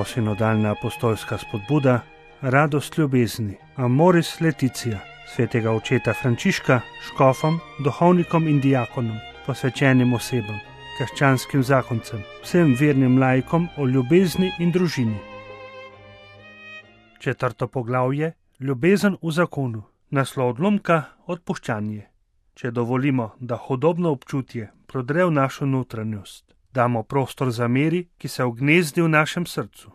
Novosinodalna apostolska spodbuda, radost ljubezni, Amoris Laetitia, svetega očeta Frančiška, škofom, duhovnikom in diakonom, posvečenim osebam, krščanskim zakoncem, vsem vernim laikom o ljubezni in družini. 4. poglavje, ljubezen v zakonu, naslov odlomka, odpuščanje. Če dovolimo, da hudobno občutje prodre v našo notranjost, damo prostor zameri, ki se ugnezdi v našem srcu.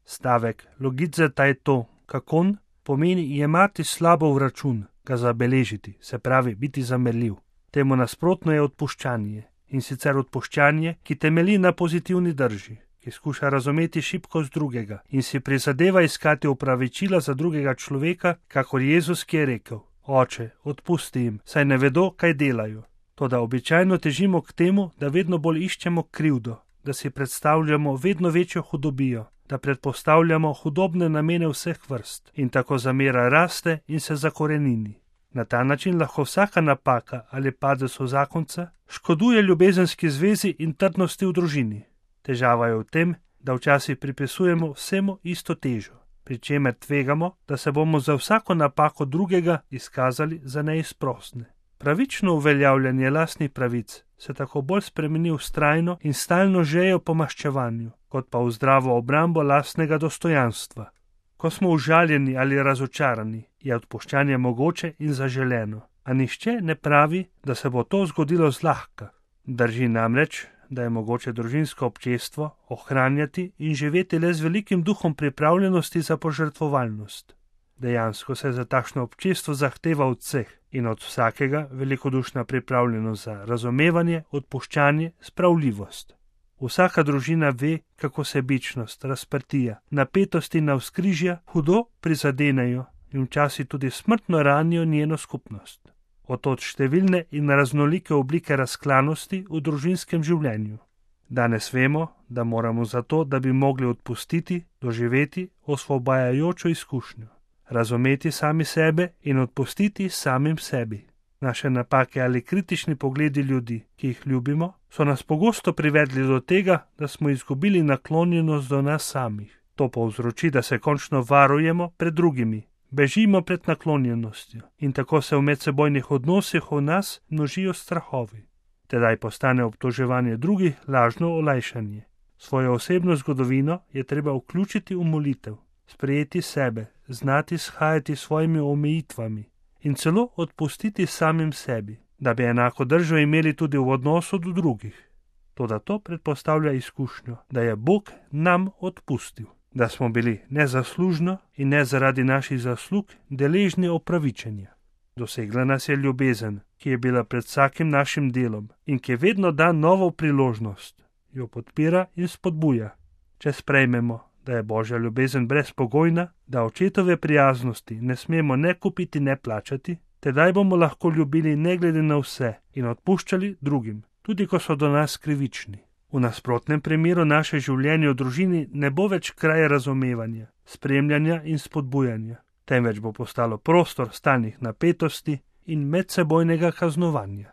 Stavek logidzeta je to, kakon, pomeni jemati slabo v račun, ga zabeležiti, se pravi biti zamerljiv. Temu nasprotno je odpuščanje, in sicer odpuščanje, ki temelji na pozitivni drži, ki skuša razumeti šibkost drugega in si prizadeva iskati opravičila za drugega človeka, kakor Jezus, ki je rekel: Oče, odpusti jim, saj ne vedo, kaj delajo. Toda običajno težimo k temu, da vedno bolj iščemo krivdo, da si predstavljamo vedno večjo hudobijo, da predpostavljamo hudobne namene vseh vrst in tako zamera raste in se zakorenini. Na ta način lahko vsaka napaka ali padec v zakonca škoduje ljubezenski zvezi in trdnosti v družini. Težava je v tem, da včasih pripisujemo vsemu isto težo, pri čemer tvegamo, da se bomo za vsako napako drugega izkazali za neizprosne. Pravično uveljavljanje lastnih pravic se tako bolj spremeni v vztrajno in stalno žejo po maščevanju, kot pa v zdravo obrambo lastnega dostojanstva. Ko smo užaljeni ali razočarani, je odpuščanje mogoče in zaželeno, a nihče ne pravi, da se bo to zgodilo zlahka. Drži namreč, da je mogoče družinsko občestvo ohranjati in živeti le z velikim duhom pripravljenosti za požrtvovalnost. Dejansko se za takšno občestvo zahteva od vseh in od vsakega velikodušna pripravljenost za razumevanje, odpuščanje, spravljivost. Vsaka družina ve, kako sebičnost, razprtija, napetosti na vzkrižja hudo prizadenejo in včasih tudi smrtno ranijo njeno skupnost. Od številne in raznolike oblike razklanosti v družinskem življenju. Danes vemo, da moramo zato, da bi mogli odpustiti, doživeti osvobajajočo izkušnjo, razumeti sami sebe in odpustiti samim sebi. Naše napake ali kritični pogledi ljudi, ki jih ljubimo, so nas pogosto privedli do tega, da smo izgubili naklonjenost do nas samih. To povzroči, da se končno varujemo pred drugimi, bežimo pred naklonjenostjo in tako se v medsebojnih odnosih v nas množijo strahovi. Tedaj postane obtoževanje drugih lažno olajšanje. Svojo osebno zgodovino je treba vključiti v molitev, sprejeti sebe, znati shajati s svojimi omejitvami in celo odpustiti samim sebi, da bi enako držo imeli tudi v odnosu do drugih. Toda to predpostavlja izkušnjo, da je Bog nam odpustil, da smo bili nezaslužno in ne zaradi naših zaslug deležni opravičenja. Dosegla nas je ljubezen, ki je bila pred vsakim našim delom in ki vedno da novo priložnost, jo podpira in spodbuja. Če sprejmemo, da je Božja ljubezen brezpogojna, da očetove prijaznosti ne smemo ne kupiti, ne plačati, tedaj bomo lahko ljubili ne glede na vse in odpuščali drugim, tudi ko so do nas krivični. V nasprotnem primeru naše življenje v družini ne bo več kraj razumevanja, spremljanja in spodbujanja, temveč bo postalo prostor stalnih napetosti in medsebojnega kaznovanja.